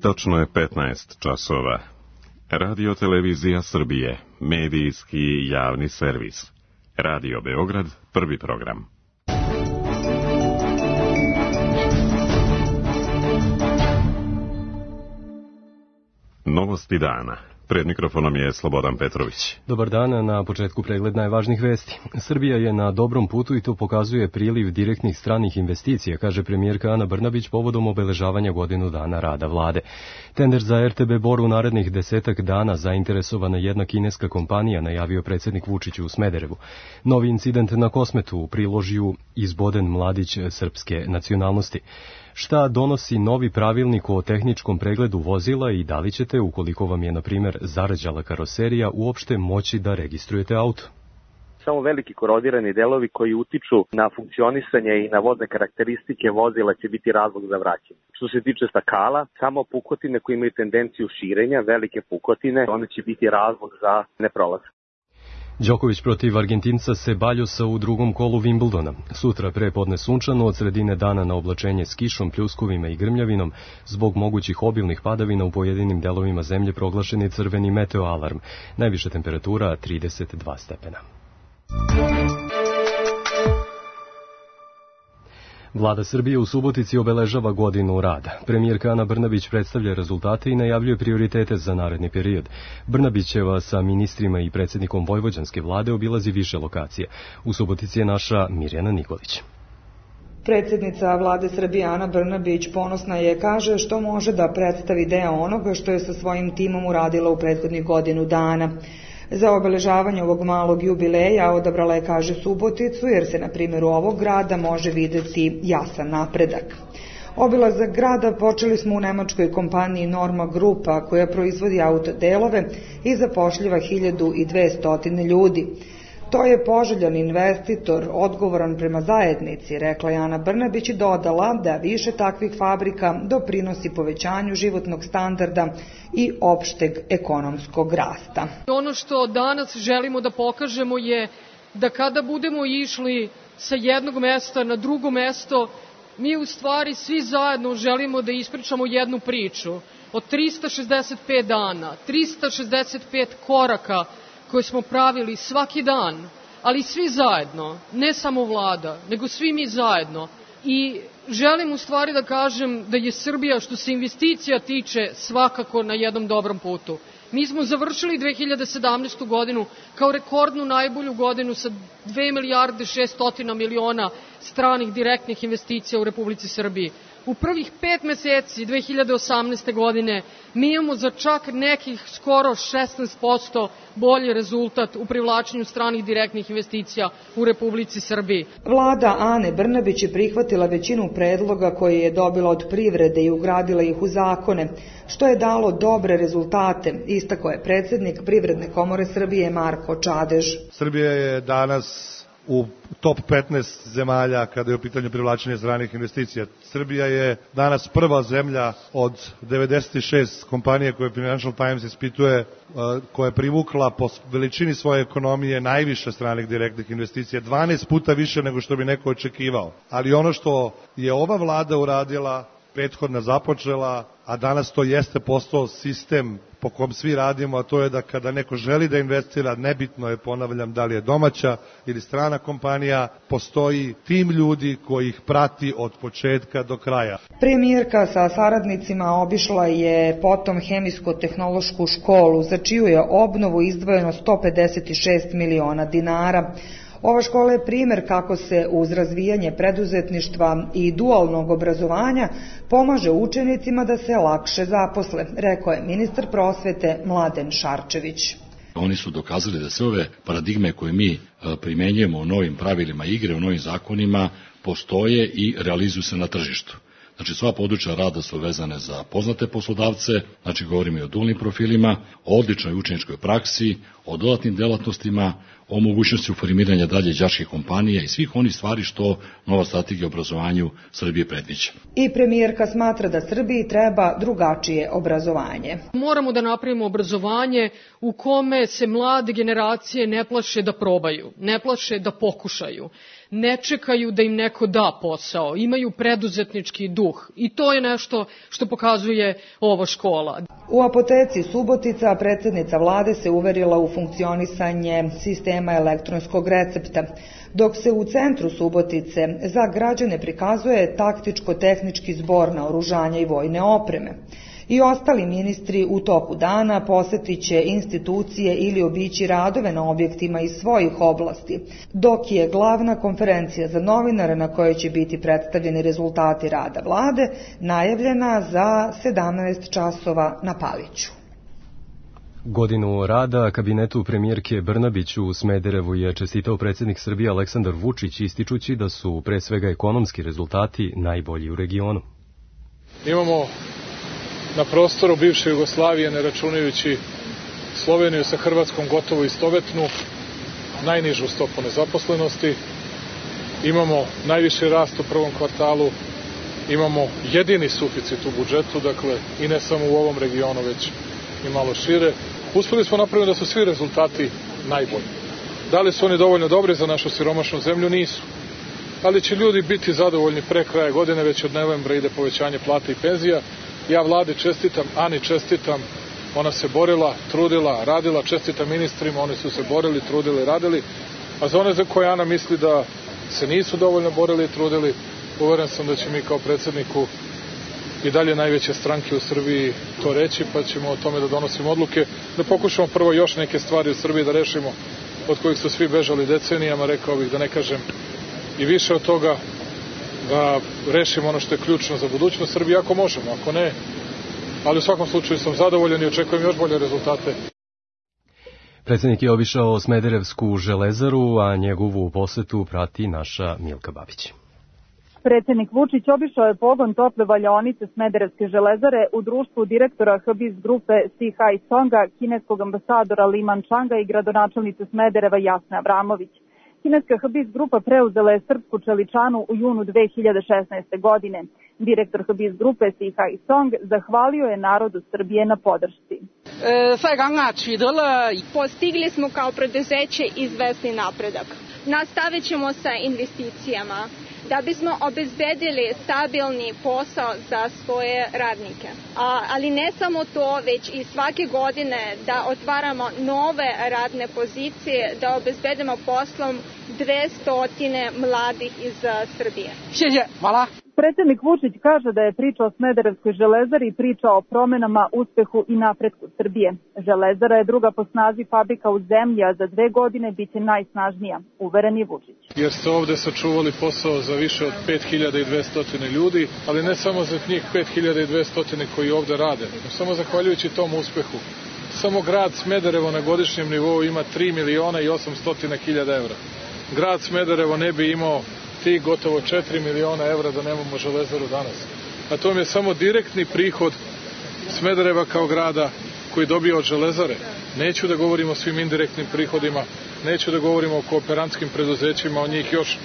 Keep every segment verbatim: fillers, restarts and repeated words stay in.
Tačno je petnaest časova. Radio Televizija Srbije, medijski javni servis. Radio Beograd, prvi program. Novosti dana. Pred mikrofonom je Slobodan Petrović. Dobar dan, na početku pregled najvažnijih vesti. Srbija je na dobrom putu i to pokazuje priliv direktnih stranih investicija, kaže premijerka Ana Brnabić povodom obeležavanja godinu dana rada vlade. Tender za er te be Bor u narednih desetak dana zainteresovana jedna kineska kompanija, najavio predsjednik Vučić u Smederevu. Novi incident na Kosmetu u Priložju, izboden mladić srpske nacionalnosti. Šta donosi novi pravilnik o tehničkom pregledu vozila i da li ćete, ukoliko vam je, na primjer, zarađala karoserija, uopšte moći da registrujete auto? Samo veliki korodirani delovi koji utiču na funkcionisanje i na vodne karakteristike vozila će biti razlog za vraćanje. Što se tiče stakala, samo pukotine koje imaju tendenciju širenja, velike pukotine, one će biti razlog za neprolazak. Đoković protiv Argentinca Ceballosa u drugom kolu Wimbledona. Sutra prepodne sunčano, od sredine dana na oblačenje s kišom, pljuskovima i grmljavinom. Zbog mogućih obilnih padavina u pojedinim delovima zemlje proglašen je crveni meteoalarm. Najviša temperatura trideset dva stepena. Vlada Srbije u Subotici obeležava godinu rada. Premijerka Ana Brnabić predstavlja rezultate i najavljuje prioritete za naredni period. Brnabićeva sa ministrima i predsjednikom vojvođanske vlade obilazi više lokacija. U Subotici je naša Mirjana Nikolić. Predsjednica vlade Srbije Ana Brnabić ponosna je, kaže, što može da predstavi deo onoga što je sa svojim timom uradila u prethodnih godinu dana. Za obeležavanje ovog malog jubileja odabrala je, kaže, Suboticu, jer se na primjeru ovog grada može videti jasan napredak. Obilazak grada počeli smo u nemačkoj kompaniji Norma Grupa, koja proizvodi autodelove i zapošljiva hiljadu dvesta ljudi. To je poželjan investitor, odgovoran prema zajednici, rekla je Ana Brnabić i dodala da više takvih fabrika doprinosi povećanju životnog standarda i opšteg ekonomskog rasta. Ono što danas želimo da pokažemo je da kada budemo išli sa jednog mesta na drugo mesto, mi u stvari svi zajedno želimo da ispričamo jednu priču od trista šezdeset pet dana, trista šezdeset pet koraka koje smo pravili svaki dan, ali svi zajedno, ne samo vlada, nego svi mi zajedno. I želim u stvari da kažem da je Srbija, što se investicija tiče, svakako na jednom dobrom putu. Mi smo završili dve hiljade sedamnaestu. godinu kao rekordnu najbolju godinu sa dve milijarde šesto miliona stranih direktnih investicija u Republici Srbiji. U prvih pet meseci dve hiljade osamnaeste. godine mi imamo za čak nekih skoro šesnaest posto bolji rezultat u privlačenju stranih direktnih investicija u Republici Srbiji. Vlada Ane Brnabić je prihvatila većinu predloga koje je dobila od privrede i ugradila ih u zakone, što je dalo dobre rezultate, istakao je predsjednik Privredne komore Srbije Marko Čadež. Srbija je danas u top petnaest zemalja kada je u pitanju privlačenja stranih investicija. Srbija je danas prva zemlja od devedeset šest kompanije koje Financial Times ispituje, koja je privukla po veličini svoje ekonomije najviše stranih direktnih investicija, dvanaest puta više nego što bi neko očekivao. Ali ono što je ova vlada uradila, prethodna započela, a danas to jeste postao sistem po kom svi radimo, a to je da kada neko želi da investira, nebitno je, ponavljam, da li je domaća ili strana kompanija, postoji tim ljudi koji ih prati od početka do kraja. Premijerka sa saradnicima obišla je potom hemijsko-tehnološku školu, za čiju je obnovu izdvojeno sto pedeset šest miliona dinara. Ova škola je primjer kako se uz razvijanje preduzetništva i dualnog obrazovanja pomaže učenicima da se lakše zaposle, rekao je ministar prosvete Mladen Šarčević. Oni su dokazali da sve ove paradigme koje mi primenjujemo u novim pravilima igre, u novim zakonima, postoje i realizuju se na tržištu. Znači, sva područja rada su vezane za poznate poslodavce, znači govorimo i o dualnim profilima, o odličnoj učeničkoj praksi, o dodatnim delatnostima, o mogućnosti formiranja dalje đačkih kompanija i svih onih stvari što nova strategija obrazovanju Srbije predviđa. I premijerka smatra da Srbiji treba drugačije obrazovanje. Moramo da napravimo obrazovanje u kome se mlade generacije ne plaše da probaju, ne plaše da pokušaju, ne čekaju da im neko da posao, imaju preduzetnički duh i to je nešto što pokazuje ova škola. U apoteci Subotica predsjednica vlade se uverila u funkcionisanje sistema elektronskog recepta, dok se u centru Subotice za građane prikazuje taktičko-tehnički zbor naoružanja i vojne opreme. I ostali ministri u toku dana posetit će institucije ili obići radove na objektima iz svojih oblasti, dok je glavna konferencija za novinare na kojoj će biti predstavljeni rezultati rada vlade najavljena za sedamnaest časova na Paliću. Godinu rada kabinetu premijerke Brnabić u Smederevu je čestitao predsjednik Srbije Aleksandar Vučić, ističući da su pre svega ekonomski rezultati najbolji u regionu. Imamo na prostoru bivše Jugoslavije, ne računajući Sloveniju sa Hrvatskom, gotovo istovetnu, najnižu stopu nezaposlenosti. Imamo najviši rast u prvom kvartalu, imamo jedini suficit u budžetu, dakle i ne samo u ovom regionu, već i malo šire. Uspeli smo napraviti da su svi rezultati najbolji. Da li su oni dovoljno dobri za našu siromašnu zemlju? Nisu. Ali će ljudi biti zadovoljni pre kraja godine, već od novembra ide povećanje plata i penzija. Ja vladi čestitam, Ani čestitam, ona se borila, trudila, radila, čestitam ministrima, oni su se borili, trudili, radili, a za one za koje Ana misli da se nisu dovoljno borili i trudili, uveren sam da će mi kao predsjedniku i dalje najveće stranke u Srbiji to reći, pa ćemo o tome da donosimo odluke, da pokušamo prvo još neke stvari u Srbiji da rešimo, od kojih su svi bežali decenijama, rekao bih da ne kažem i više od toga, da rešimo ono što je ključno za budućnost Srbije, ako možemo, ako ne, ali u svakom slučaju sam zadovoljan i očekujem još bolje rezultate. Predsjednik je obišao Smederevsku železaru, a njegovu posetu prati naša Milka Babić. Predsjednik Vučić obišao je pogon tople valjaonice Smederevske železare u društvu direktora H B I S grupe Si Hai Songa, kineskog ambasadora Li Mančanga i gradonačelnice Smedereva Jasne Abramović. Kineska H B I S grupa preuzela je srpsku čeličanu u junu dve hiljade šesnaeste. godine. Direktor H B I S grupe Si Hai Song zahvalio je narodu Srbije na podršci. Postigli smo kao preduzeće izvesni napredak. Nastavit ćemo sa investicijama da bismo obezbedili stabilni posao za svoje radnike. A, ali ne samo to, već i svake godine da otvaramo nove radne pozicije, da obezbedimo poslom dvesta mladih iz Srbije. Hvala. Predsjednik Vučić kaže da je priča o Smederevskoj železari priča o promenama, uspehu i napretku Srbije. Železara je druga po snazi fabrika u zemlji, a za dve godine biće najsnažnija, uveren je Vučić. Jer ste ovde sačuvali posao za više od pet hiljada dvesta ljudi, ali ne samo za njih pet hiljada dvesta koji ovde rade, samo zahvaljujući tom uspehu. Samo grad Smederevo na godišnjem nivou ima tri miliona i osamsto hiljada evra. Grad Smederevo ne bi imao tih gotovo četiri miliona evra da nemamo železaru danas. A to je samo direktni prihod Smedereva kao grada koji dobija od železare. Neću da govorim o svim indirektnim prihodima, neću da govorim o kooperantskim preduzećima, o njih još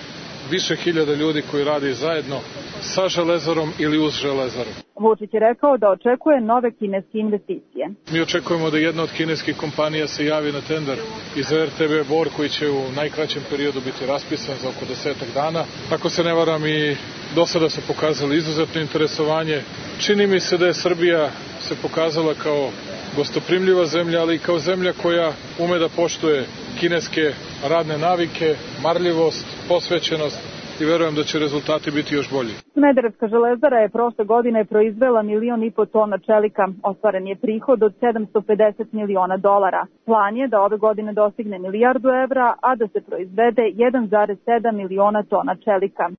više hiljada ljudi koji radi zajedno sa železarom ili uz železaru. Vučić je rekao da očekuje nove kineske investicije. Mi očekujemo da jedna od kineskih kompanija se javi na tender iz R T B Bor koji će u najkraćem periodu biti raspisan za oko desetak dana. Ako se ne varam, i do sada su pokazali izuzetno interesovanje. Čini mi se da je Srbija se pokazala kao gostoprimljiva zemlja, ali i kao zemlja koja ume da poštuje kineske radne navike, marljivost, posvećenost i verujem da će rezultati biti još bolji. Smederevska železara je prošle godine proizvela milion i po tona čelika. Ostvaren je prihod od sedamsto pedeset miliona dolara. Plan je da ove godine dostigne milijardu evra, a da se proizvede jedan zarez sedam miliona tona čelika.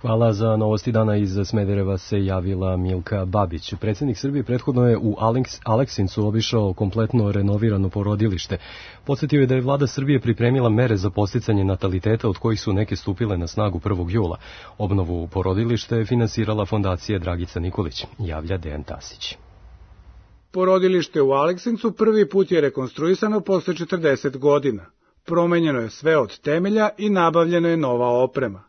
Hvala. Za novosti dana iz Smedereva se javila Milka Babić. Predsjednik Srbije prethodno je u Aleksincu obišao kompletno renovirano porodilište. Podsjetio je da je vlada Srbije pripremila mere za podsticanje nataliteta, od kojih su neke stupile na snagu prvog jula. Obnovu porodilišta je finansirala fondacija Dragica Nikolić, javlja Dejan Tasić. Porodilište u Aleksincu prvi put je rekonstruisano posle četrdeset godina. Promenjeno je sve od temelja i nabavljena je nova oprema.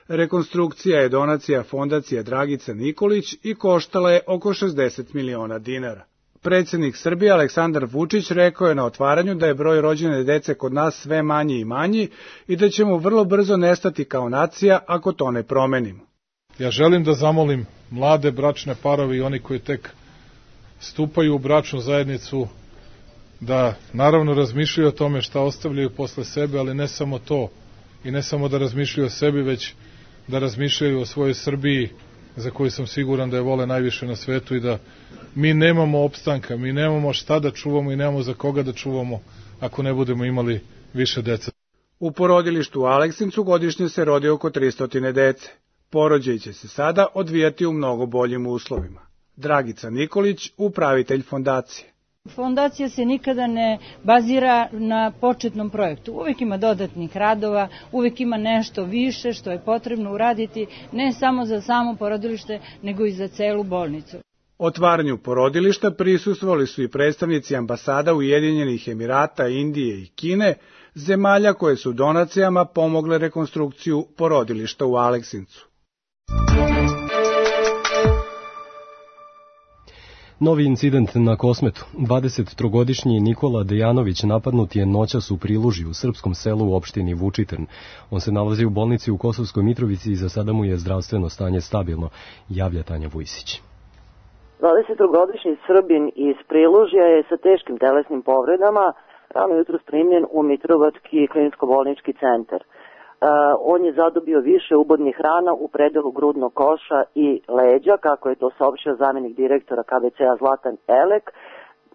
Rekonstrukcija je donacija fondacije Dragica Nikolić i koštala je oko šezdeset miliona dinara. Predsjednik Srbije Aleksandar Vučić rekao je na otvaranju da je broj rođene dece kod nas sve manji i manji i da ćemo vrlo brzo nestati kao nacija ako to ne promenimo. Ja želim da zamolim mlade bračne parove i oni koji tek stupaju u bračnu zajednicu da naravno razmišljaju o tome šta ostavljaju posle sebe, ali ne samo to i ne samo da razmišljaju o sebi, već da razmišljaju o svojoj Srbiji za koju sam siguran da je vole najviše na svetu i da mi nemamo opstanka, mi nemamo šta da čuvamo i nemamo za koga da čuvamo ako ne budemo imali više dece. U porodilištu u Aleksincu godišnje se rodi oko tristo dece. Porođaj će se sada odvijati u mnogo boljim uslovima. Dragica Nikolić, upravitelj fondacije. Fondacija se nikada ne bazira na početnom projektu. Uvijek ima dodatnih radova, uvijek ima nešto više što je potrebno uraditi, ne samo za samo porodilište, nego i za celu bolnicu. Otvaranju porodilišta prisustvovali su i predstavnici ambasada Ujedinjenih Emirata, Indije i Kine, zemalja koje su donacijama pomogle rekonstrukciju porodilišta u Aleksincu. Novi incident na Kosmetu. dvadesettrogodišnji Nikola Dejanović napadnut je noćas u Priluži u srpskom selu u opštini Vučitrn. On se nalazi u bolnici u Kosovskoj Mitrovici i za sada mu je zdravstveno stanje stabilno, javlja Tanja Vujsić. dvadesettrogodišnji Srbin iz Prilužja je sa teškim telesnim povredama rano jutro primljen u Mitrovački klinsko-bolnički centar. Uh, on je zadobio više ubodnih rana u predelu grudnog koša i leđa, kako je to saopštio zamenik direktora K B C-a Zlatan Elek,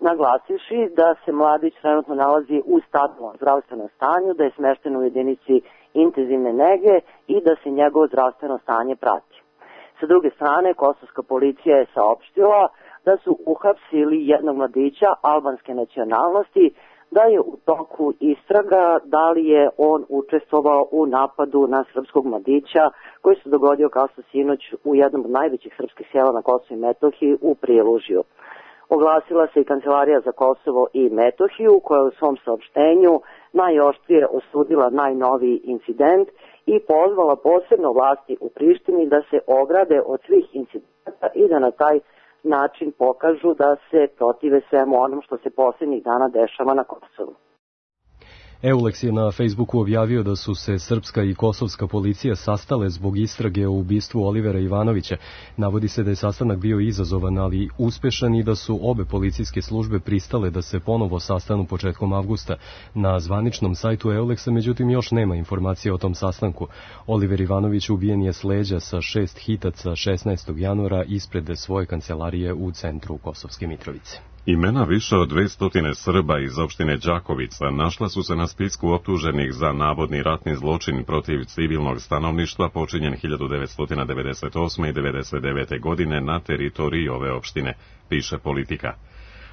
naglasivši da se mladić trenutno nalazi u stabilnom zdravstvenom stanju, da je smešten u jedinici intenzivne nege i da se njegovo zdravstveno stanje prati. Sa druge strane, kosovska policija je saopštila da su uhapsili jednog mladića albanske nacionalnosti, da je u toku istraga da li je on učestvovao u napadu na srpskog mladića koji se dogodio kasno sinoć u jednom od najvećih srpskih sela na Kosovu i Metohiji u Prilužju. Oglasila se i Kancelarija za Kosovo i Metohiju koja je u svom saopštenju najoštrije osudila najnoviji incident i pozvala posebno vlasti u Prištini da se ograde od svih incidenta i da na taj način pokažu da se protive svemu onom što se posljednjih dana dešava na Kosovu. Eulex je na Facebooku objavio da su se srpska i kosovska policija sastale zbog istrage o ubistvu Olivera Ivanovića. Navodi se da je sastanak bio izazovan, ali uspešan i da su obe policijske službe pristale da se ponovo sastanu početkom avgusta. Na zvaničnom sajtu Eulexa, međutim, još nema informacije o tom sastanku. Oliver Ivanović ubijen je s leđa sa šest hitaca šesnaestog januara ispred svoje kancelarije u centru Kosovske Mitrovice. Imena više od dvesta Srba iz opštine Đakovica našla su se na spisku optuženih za navodni ratni zločin protiv civilnog stanovništva počinjen hiljadu devetsto devedeset osme. i devedeset devete. godine na teritoriji ove opštine, piše Politika.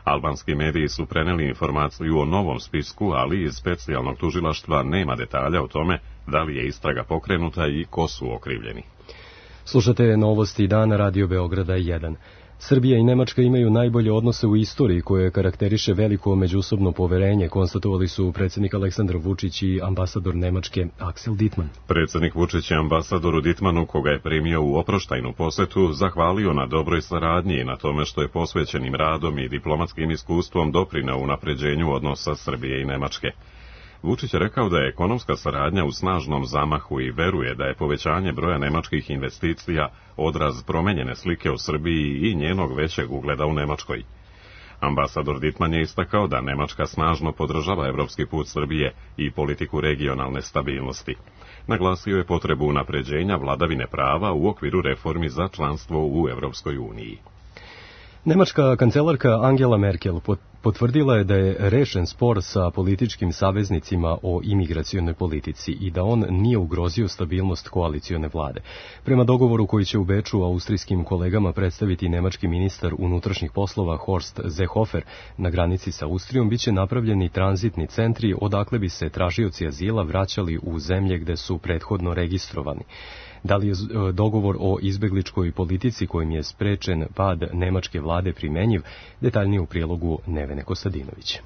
Albanski mediji su preneli informaciju o novom spisku, ali iz specijalnog tužilaštva nema detalja o tome da li je istraga pokrenuta i ko su okrivljeni. Slušate novosti dana Radio Beograda jedan. Srbija i Nemačka imaju najbolje odnose u istoriji koje karakteriše veliko međusobno poverenje, konstatovali su predsjednik Aleksandar Vučić i ambasador Nemačke Axel Dittmann. Predsjednik Vučić je ambasadoru Dittmannu, koga je primio u oproštajnu posetu, zahvalio na dobroj saradnji i na tome što je posvećenim radom i diplomatskim iskustvom doprineo unapređenju odnosa Srbije i Nemačke. Vučić je rekao da je ekonomska saradnja u snažnom zamahu i veruje da je povećanje broja nemačkih investicija odraz promenjene slike o Srbiji i njenog većeg ugleda u Nemačkoj. Ambasador Dittmann je istakao da Nemačka snažno podržava evropski put Srbije i politiku regionalne stabilnosti. Naglasio je potrebu unapređenja vladavine prava u okviru reformi za članstvo u Evropskoj uniji. Nemačka kancelarka Angela Merkel potvrdila je da je rešen spor sa političkim saveznicima o imigracionoj politici i da on nije ugrozio stabilnost koalicione vlade. Prema dogovoru koji će u Beču austrijskim kolegama predstaviti nemački ministar unutrašnjih poslova Horst Seehofer na granici sa Austrijom, biće napravljeni tranzitni centri odakle bi se tražioci azila vraćali u zemlje gde su prethodno registrovani. Da li je dogovor o izbegličkoj politici kojim je sprečen pad nemačke vlade primenjiv, detaljnije u prilogu Nevene Kostadinović.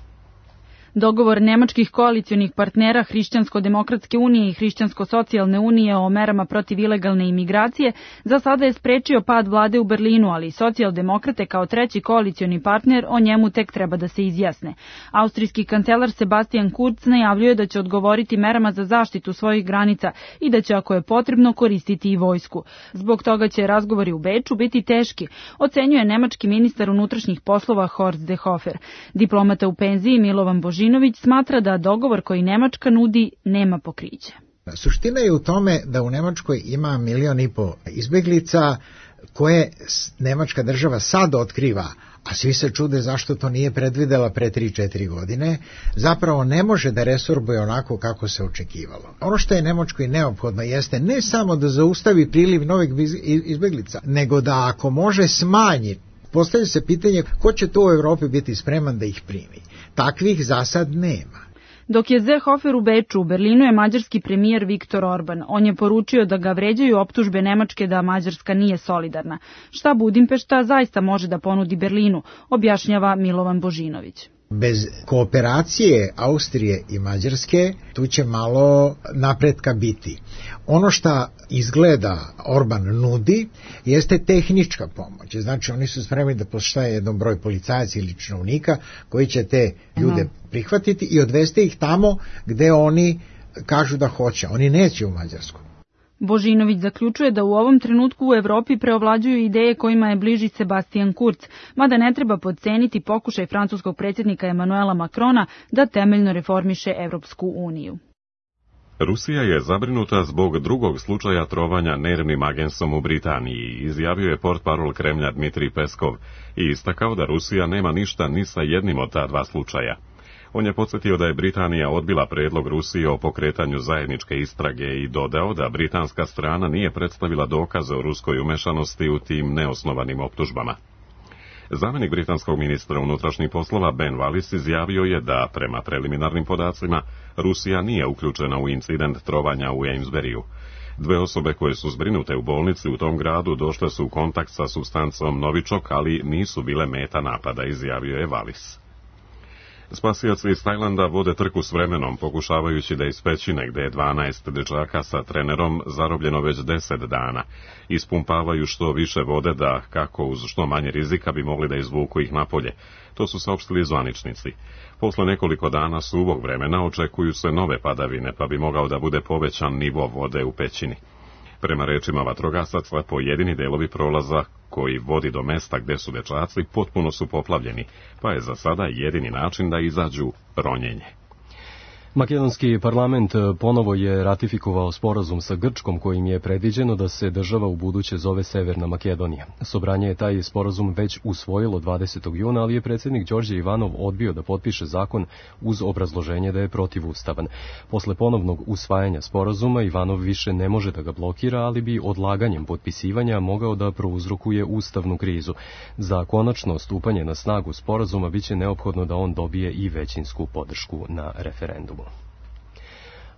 Dogovor nemačkih koalicionih partnera Hrišćansko-demokratske unije i Hrišćansko-socijalne unije o merama protiv ilegalne imigracije za sada je sprečio pad vlade u Berlinu, ali socijaldemokrate kao treći koalicioni partner o njemu tek treba da se izjasne. Austrijski kancelar Sebastian Kurz najavljuje da će odgovoriti merama za zaštitu svojih granica i da će, ako je potrebno, koristiti i vojsku. Zbog toga će razgovori u Beču biti teški, ocenjuje nemački ministar unutrašnjih poslova Horst Seehofer. Diplomata u penziji Milovan Božinović smatra da dogovor koji Nemačka nudi nema pokriće. Suština je u tome da u Nemačkoj ima milion i po izbeglica koje nemačka država sad otkriva, a svi se čude zašto to nije predvidela pre tri četiri godine, zapravo ne može da resorbuje onako kako se očekivalo. Ono što je Nemačkoj neophodno jeste ne samo da zaustavi priliv novih izbeglica, nego da ako može smanji. Postavlja se pitanje ko će to u Evropi biti spreman da ih primi. Takvih za sad nema. Dok je Seehofer u Beču, u Berlinu je mađarski premijer Viktor Orban. On je poručio da ga vređaju optužbe Nemačke da Mađarska nije solidarna. Šta Budimpešta zaista može da ponudi Berlinu, objašnjava Milovan Božinović. Bez kooperacije Austrije i Mađarske tu će malo napretka biti. Ono što izgleda Orban nudi jeste tehnička pomoć. Znači oni su spremni da poštaje jedan broj policajaca ili činovnika koji će te ljude prihvatiti i odvesti ih tamo gde oni kažu da hoće. Oni neće u Mađarsku. Božinović zaključuje da u ovom trenutku u Evropi preovlađuju ideje kojima je bliži Sebastian Kurz, mada ne treba podceniti pokušaj francuskog predsjednika Emanuela Macrona da temeljno reformiše Evropsku uniju. Rusija je zabrinuta zbog drugog slučaja trovanja nervnim agensom u Britaniji, izjavio je portparol Kremlja Dmitrij Peskov i istakao da Rusija nema ništa ni sa jednim od ta dva slučaja. On je podsjetio da je Britanija odbila predlog Rusije o pokretanju zajedničke istrage i dodao da britanska strana nije predstavila dokaze o ruskoj umešanosti u tim neosnovanim optužbama. Zamjenik britanskog ministra unutrašnjih poslova Ben Wallace izjavio je da, prema preliminarnim podacima, Rusija nije uključena u incident trovanja u Amesburyju. Dve osobe koje su zbrinute u bolnici u tom gradu došle su u kontakt sa supstancom novičok, ali nisu bile meta napada, izjavio je Wallace. Spasioci iz Tajlanda vode trku s vremenom, pokušavajući da iz pećine, gde je dvanaest dečaka sa trenerom zarobljeno već deset dana, ispumpavaju što više vode da, kako uz što manje rizika, bi mogli da izvuku ih napolje. To su saopštili zvaničnici. Posle nekoliko dana suvog vremena očekuju se nove padavine, pa bi mogao da bude povećan nivo vode u pećini. Prema rečima vatrogasaca, pojedini delovi prolaza koji vodi do mesta gde su dečaci potpuno su poplavljeni, pa je za sada jedini način da izađu ronjenje. Makedonski parlament ponovo je ratifikovao sporazum sa Grčkom kojim je predviđeno da se država u buduće zove Severna Makedonija. Sobranje je taj sporazum već usvojilo dvadesetog juna, ali je predsjednik Đorđe Ivanov odbio da potpiše zakon uz obrazloženje da je protivustavan. Posle ponovnog usvajanja sporazuma Ivanov više ne može da ga blokira, ali bi odlaganjem potpisivanja mogao da prouzrokuje ustavnu krizu. Za konačno stupanje na snagu sporazuma biće neophodno da on dobije i većinsku podršku na referendumu.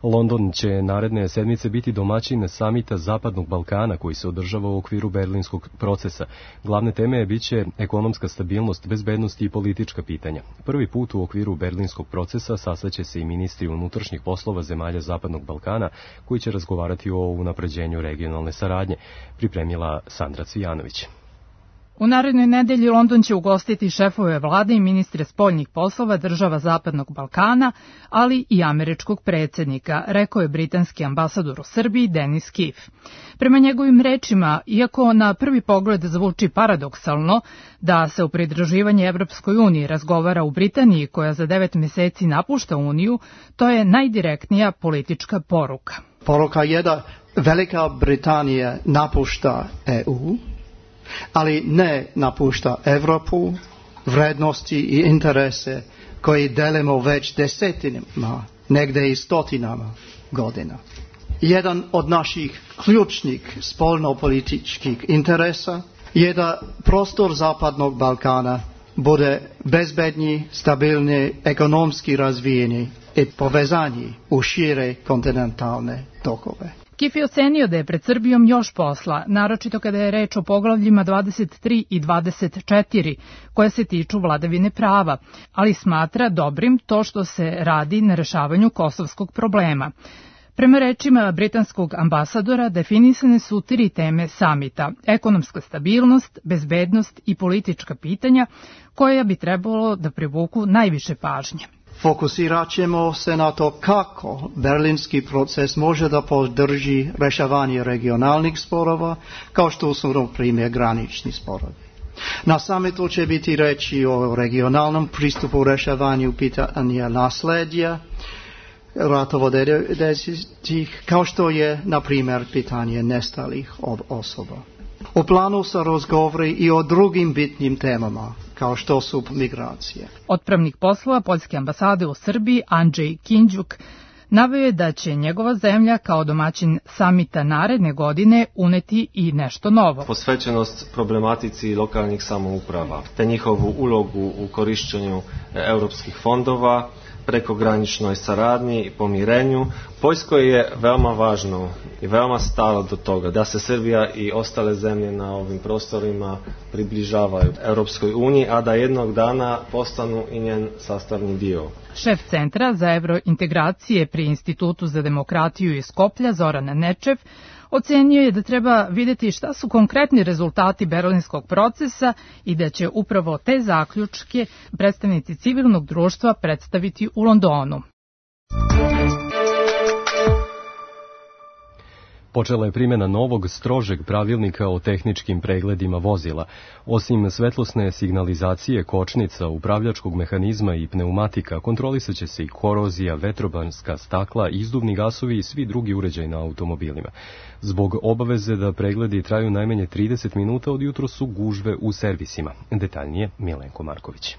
London će naredne sedmice biti domaćin samita Zapadnog Balkana koji se održava u okviru berlinskog procesa. Glavne teme biće ekonomska stabilnost, bezbednost i politička pitanja. Prvi put u okviru berlinskog procesa sastaće se i ministri unutrašnjih poslova zemalja Zapadnog Balkana koji će razgovarati o unapređenju regionalne saradnje, pripremila Sandra Cvijanović. U narednoj nedelji London će ugostiti šefove vlade i ministre spoljnih poslova država Zapadnog Balkana, ali i američkog predsjednika, rekao je britanski ambasador u Srbiji Denis Kiff. Prema njegovim rečima, iako na prvi pogled zvuči paradoksalno da se u pridruživanje Evropskoj uniji razgovara u Britaniji koja za devet mjeseci napušta Uniju, to je najdirektnija politička poruka. Poruka je da Velika Britanija napušta E U, ali ne napušta Evropu, vrednosti i interese koji delimo već desetinama, negde i stotinama godina. Jedan od naših ključnih spoljnopolitičkih interesa je da prostor Zapadnog Balkana bude bezbedniji, stabilni, ekonomski razvijeni i povezani u šire kontinentalne tokove. Kif je ocenio da je pred Srbijom još posla, naročito kada je reč o poglavljima dvadeset tri i dvadeset četiri, koje se tiču vladavine prava, ali smatra dobrim to što se radi na rešavanju kosovskog problema. Prema rečima britanskog ambasadora, definisane su tri teme samita: ekonomska stabilnost, bezbednost i politička pitanja, koja bi trebalo da privuku najviše pažnje. Fokusirat ćemo se na to kako berlinski proces može da podrži rešavanje regionalnih sporova, kao što su na primjer granični sporovi. Na samitu će biti reći o regionalnom pristupu rešavanju pitanja nasledja, ratova devedesetih, kao što je, na primjer, pitanje nestalih osoba. U planu se razgovori i o drugim bitnim temama, kao što su migracije. Otpravnik poslova Poljske ambasade u Srbiji, Andrzej Kinđuk, naveo je da će njegova zemlja kao domaćin samita naredne godine uneti i nešto novo. Posvećenost problematici lokalnih samouprava, te njihovu ulogu u korišćenju europskih fondova, prekograničnoj saradnji i pomirenju. Poljskoj je veoma važno i veoma stalo do toga da se Srbija i ostale zemlje na ovim prostorima približavaju Europskoj uniji, a da jednog dana postanu i njen sastavni dio. Šef Centra za evrointegracije pri Institutu za demokratiju iz Skoplja, Zoran Nečev, ocenio je da treba videti šta su konkretni rezultati berlinskog procesa i da će upravo te zaključke predstavnici civilnog društva predstaviti u Londonu. Počela je primjena novog, strožeg pravilnika o tehničkim pregledima vozila. Osim svetlosne signalizacije, kočnica, upravljačkog mehanizma i pneumatika, kontrolisat će se i korozija, vetrobanska stakla, izduvni gasovi i svi drugi uređaji na automobilima. Zbog obaveze da pregledi traju najmanje trideset minuta, od jutro su gužve u servisima. Detaljnije Milenko Marković.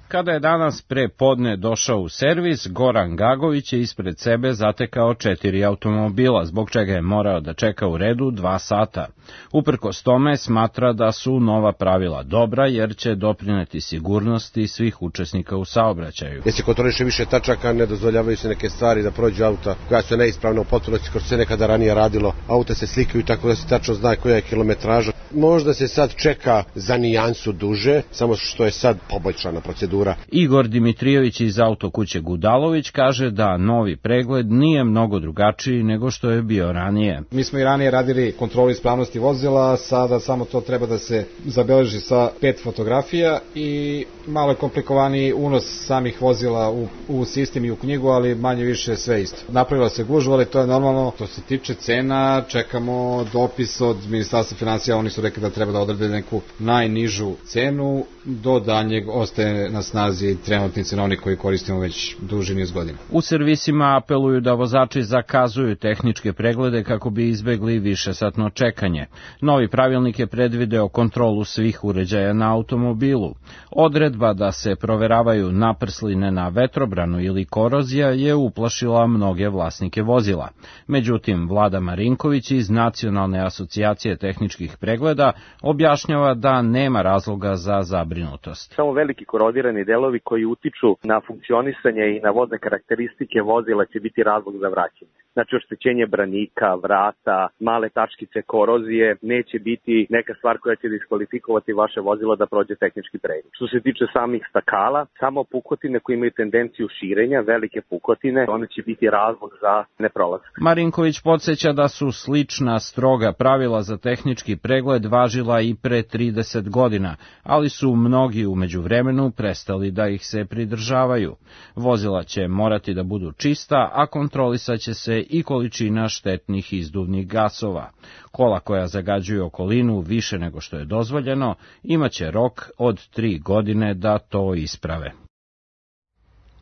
Kada je danas pre podne došao u servis, Goran Gagović je ispred sebe zatekao četiri automobila, zbog čega je morao da čeka u redu dva sata. Uprkos tome smatra da su nova pravila dobra, jer će doprineti sigurnosti svih učesnika u saobraćaju. Jer se kontroliše više tačaka, ne dozvoljavaju se neke stvari da prođu auta koja su neispravna u potpunosti, kao što se nekada ranije radilo. Auta se slikaju tako da se tačno zna koja je kilometraža. Možda se sad čeka za nijansu duže, samo što je sad poboljšana procedura. Igor Dimitrijević iz autokuće Gudalović kaže da novi pregled nije mnogo drugačiji nego što je bio ranije. Mi smo i ranije radili kontrolu ispravnosti vozila, sada samo to treba da se zabeleži sa pet fotografija i malo je komplikovaniji unos samih vozila u, u sistem i u knjigu, ali manje više sve isto. Napravila se gužva, ali to je normalno. Što se tiče cena, čekamo dopis od Ministarstva finansija, oni su rekli da treba da odrede neku najnižu cenu, do daljnjeg ostaje na snazi trenutni cenovnik koji koristimo već duži niz godina. U servisima apeluju da vozači zakazuju tehničke preglede kako bi izbegli višesatno čekanje. Novi pravilnik je predvideo kontrolu svih uređaja na automobilu. Odredba da se proveravaju naprsline na vetrobranu ili korozija je uplašila mnoge vlasnike vozila. Međutim, Vlada Marinković iz Nacionalne asocijacije tehničkih pregleda objašnjava da nema razloga za zabrinutost. Samo veliki korodirani delovi koji utiču na funkcionisanje i na vodne karakteristike vozila će biti razlog za vraćanje. Znači oštećenje branika, vrata, male tačkice korozije neće biti neka stvar koja će diskvalifikovati vaše vozilo da prođe tehnički pregled. Što se tiče samih stakala, samo pukotine koje imaju tendenciju širenja, velike pukotine, one će biti razlog za neprolazak. Marinković podsjeća da su slična stroga pravila za tehnički pregled važila i pre trideset godina, ali su mnogi u međuvremenu prestali da ih se pridržavaju. Vozila će morati da budu čista, a kontrolisat će se i količina štetnih izduvnih gasova. Kola koja zagađuju okolinu više nego što je dozvoljeno, imaće rok od tri godine da to isprave.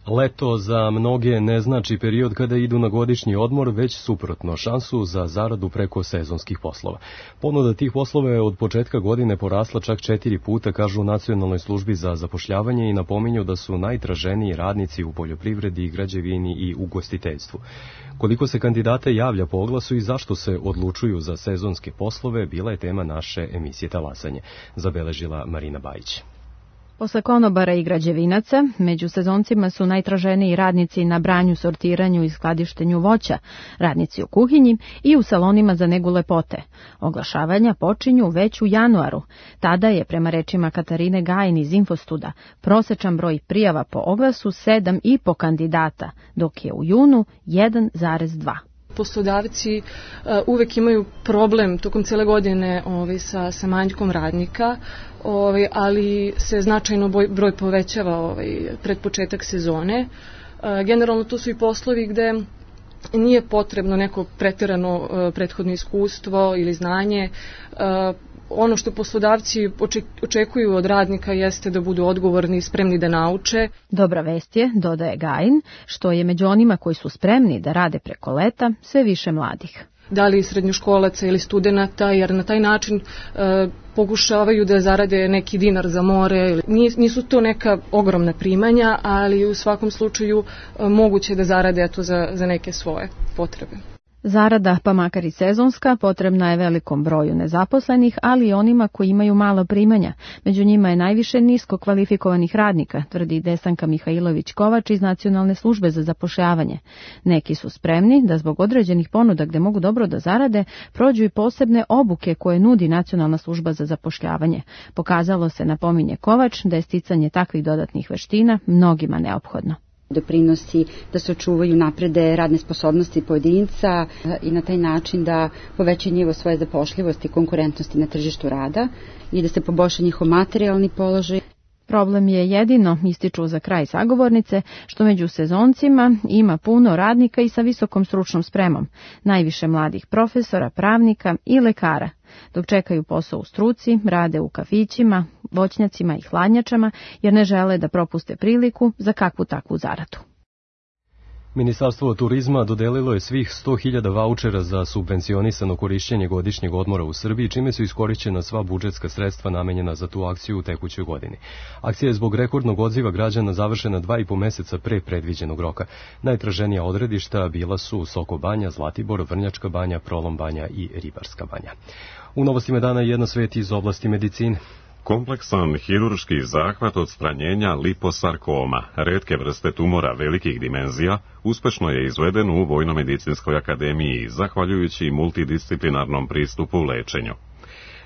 Leto za mnoge ne znači period kada idu na godišnji odmor, već suprotno, šansu za zaradu preko sezonskih poslova. Ponuda tih poslova je od početka godine porasla čak četiri puta, kažu u Nacionalnoj službi za zapošljavanje, i napominju da su najtraženiji radnici u poljoprivredi, građevini i ugostiteljstvu. Koliko se kandidata javlja po oglasu i zašto se odlučuju za sezonske poslove, bila je tema naše emisije Talasanje, zabeležila Marina Bajić. Posle konobara i građevinaca, među sezoncima su najtraženiji radnici na branju, sortiranju i skladištenju voća, radnici u kuhinji i u salonima za negu lepote. Oglašavanja počinju već u januaru. Tada je, prema rečima Katarine Gajin iz Infostuda, prosečan broj prijava po oglasu sedam i po kandidata, dok je u junu jedan zarez dva. Poslodavci uh, uvek imaju problem tokom cele godine ovaj, sa, sa manjkom radnika, ovaj, ali se značajno boj, broj povećava ovaj, pred početak sezone. Uh, generalno to su i poslovi gde nije potrebno neko preterano uh, prethodno iskustvo ili znanje. Uh, ono što poslodavci očekuju od radnika jeste da budu odgovorni i spremni da nauče. Dobra vest je, dodaje Gajin, što je među onima koji su spremni da rade preko leta sve više mladih. Da li srednjoškolaca ili studenata, jer na taj način e, pokušavaju da zarade neki dinar za more. Nisu to neka ogromna primanja, ali u svakom slučaju e, moguće da zarade eto, za, za neke svoje potrebe. Zarada, pa makar i sezonska, potrebna je velikom broju nezaposlenih, ali i onima koji imaju mala primanja. Među njima je najviše nisko kvalifikovanih radnika, tvrdi Desanka Mihajlović-Kovač iz Nacionalne službe za zapošljavanje. Neki su spremni da zbog određenih ponuda gde mogu dobro da zarade, prođu i posebne obuke koje nudi Nacionalna služba za zapošljavanje. Pokazalo se, napominje Kovač, da je sticanje takvih dodatnih veština mnogima neophodno. Doprinosi da se očuvaju, naprede radne sposobnosti pojedinca i na taj način da povećaju nivo svoje zapošljivosti i konkurentnosti na tržištu rada i da se poboljša njihov materijalni položaj. Problem je jedino, ističu za kraj sagovornice, što među sezoncima ima puno radnika i sa visokom stručnom spremom, najviše mladih profesora, pravnika i lekara. Dok čekaju posao u struci, rade u kafićima, voćnjacima i hladnjačama, jer ne žele da propuste priliku za kakvu takvu zaradu. Ministarstvo turizma dodelilo je svih sto hiljada vaučera za subvencionisano korišćenje godišnjeg odmora u Srbiji, čime su iskorišćena sva budžetska sredstva namenjena za tu akciju u tekućoj godini. Akcija je zbog rekordnog odziva građana završena dva i po meseca pre predviđenog roka. Najtraženija odredišta bila su Soko Banja, Zlatibor, Vrnjačka Banja, Prolom Banja i Ribarska Banja. U novostima dana jedna sveti iz oblasti medicine. Kompleksan hirurški zahvat odstranjenja liposarkoma, retke vrste tumora velikih dimenzija, uspešno je izveden u Vojno-medicinskoj akademiji, zahvaljujući multidisciplinarnom pristupu lečenju.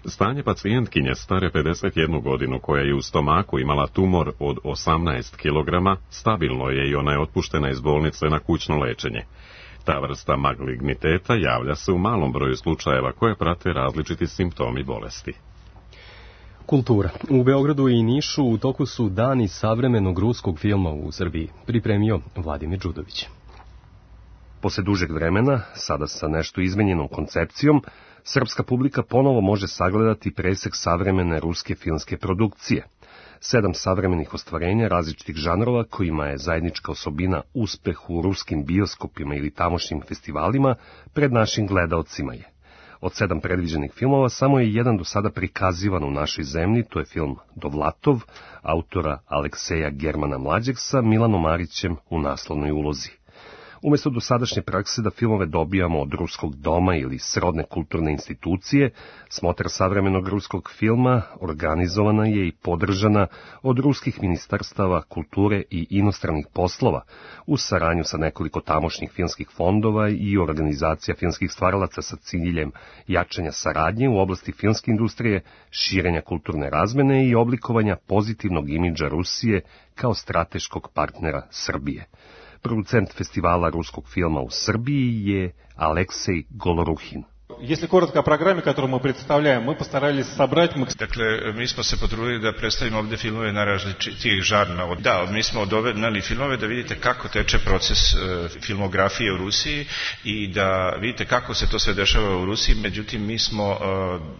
Stanje pacijentkinje stare pedeset jednu godinu, koja je u stomaku imala tumor od osamnaest kilograma, stabilno je i ona je otpuštena iz bolnice na kućno lečenje. Ta vrsta maligniteta javlja se u malom broju slučajeva koje prate različiti simptomi bolesti. Kultura. U Beogradu i Nišu u toku su dani savremenog ruskog filma u Srbiji, pripremio Vladimir Đudović. Posle dužeg vremena, sada sa nešto izmenjenom koncepcijom, srpska publika ponovo može sagledati presek savremene ruske filmske produkcije. Sedam savremenih ostvarenja različitih žanrova, kojima je zajednička osobina uspeh u ruskim bioskopima ili tamošnjim festivalima, pred našim gledaocima je. Od sedam predviđenih filmova samo je jedan do sada prikazivan u našoj zemlji, to je film Dovlatov, autora Alekseja Germana Mlađeg sa Milanom Marićem u naslovnoj ulozi. Umesto dosadašnje prakse da filmove dobijamo od ruskog doma ili srodne kulturne institucije, smotra savremenog ruskog filma organizovana je i podržana od ruskih ministarstava kulture i inostranih poslova, u saradnju sa nekoliko tamošnjih filmskih fondova i organizacija filmskih stvaralaca sa ciljem jačanja saradnje u oblasti filmske industrije, širenja kulturne razmene i oblikovanja pozitivnog imidža Rusije kao strateškog partnera Srbije. Producent festivala ruskog filma u Srbiji je Aleksej Goloruhin. Если коротко о программе, которую мы представляем, мы постарались собрать... Dakle, mi smo se potrudili da predstavimo ovde filmove na različitih žarna. Da, mi smo dovednali filmove da vidite kako teče proces filmografije u Rusiji i da vidite kako se to sve dešava u Rusiji. Međutim, mi smo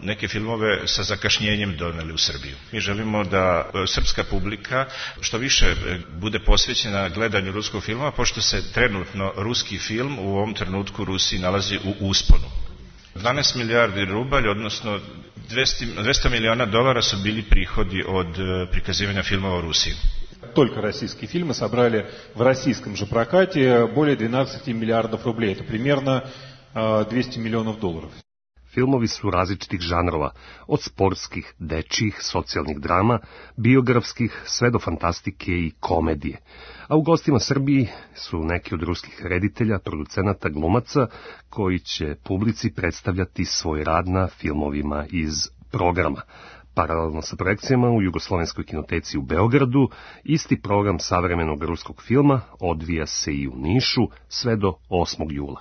neke filmove sa zakašnjenjem doneli u Srbiju. Mi želimo da srpska publika što više bude posvećena gledanju ruskog filma, pošto se trenutno ruski film u ovom trenutku u Rusiji nalazi u usponu. dvanaest milijardi rubalj, odnosno dvesta miliona dolara su bili prihodi od prikazivanja filmova u Rusiji. Только российские фильмы собрали в российском же прокате более двенадцати миллиардов рублей. Это примерно двести миллионов долларов. filmovi su različitih žanrova, od sportskih, dečjih, socijalnih drama, biografskih, sve do fantastike i komedije. A u gostima Srbiji su neki od ruskih reditelja, producenata, glumaca, koji će publici predstavljati svoj rad na filmovima iz programa. Paralelno sa projekcijama u Jugoslovenskoj kinoteci u Beogradu, isti program savremenog ruskog filma odvija se i u Nišu sve do osmog jula.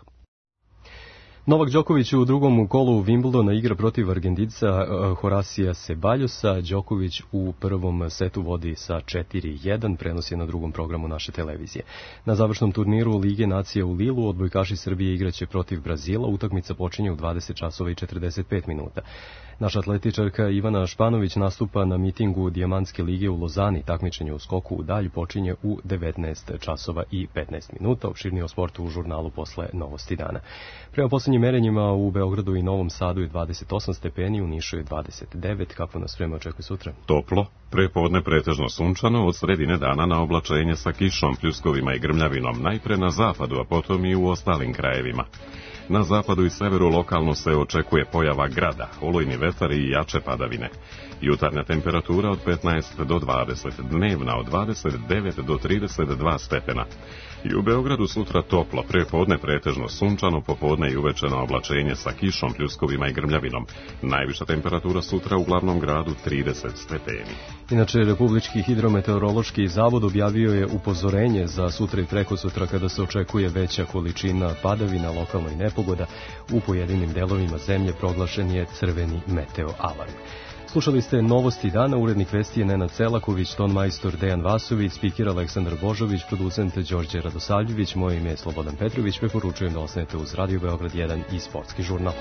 Novak Đoković u drugom kolu Wimbledona igra protiv Argentinca Horasija Ceballosa. Đoković u prvom setu vodi sa četiri jedan, prenos je na drugom programu naše televizije. Na završnom turniru Lige nacija u Lilu odbojkaši Srbije igraće protiv Brazila. Utakmica počinje u dvadeset časova i četrdeset pet minuta. Naša atletičarka Ivana Španović nastupa na mitingu Dijamantske lige u Lozani. Takmičenje u skoku u dalj počinje u devetnaest časova i petnaest minuta. Opširnije o sportu u žurnalu posle Novosti dana. Prema poslednjim merenjima u Beogradu i Novom Sadu je dvadeset osam stepeni, u Nišu je dvadeset devet. Kako nas vreme očekuje sutra? Toplo, prepodne pretežno sunčano, od sredine dana na oblačenje sa kišom, pljuskovima i grmljavinom, najpre na zapadu, a potom i u ostalim krajevima. Na zapadu i severu lokalno se očekuje pojava grada, olujni vetar i jače padavine. Jutarnja temperatura od petnaest do dvadeset, dnevna od dvadeset devet do trideset dva stepena. I u Beogradu sutra toplo, prepodne pretežno sunčano, popodne i uveče na oblačenje sa kišom, pljuskovima i grmljavinom. Najviša temperatura sutra u glavnom gradu trideset stepeni. Inače, Republički hidrometeorološki zavod objavio je upozorenje za sutra i preko sutra kada se očekuje veća količina padavina, lokalno i nepogoda. U pojedinim delovima zemlje proglašen je crveni meteo alarm. Slušali ste Novosti dana, urednik vesti je Nenad Celaković, ton majstor Dejan Vasović, spiker Aleksandar Božović, producent Đorđe Radosavljević, moje ime je Slobodan Petrović, preporučujem da ostanete uz Radio Beograd jedan i Sportski žurnal.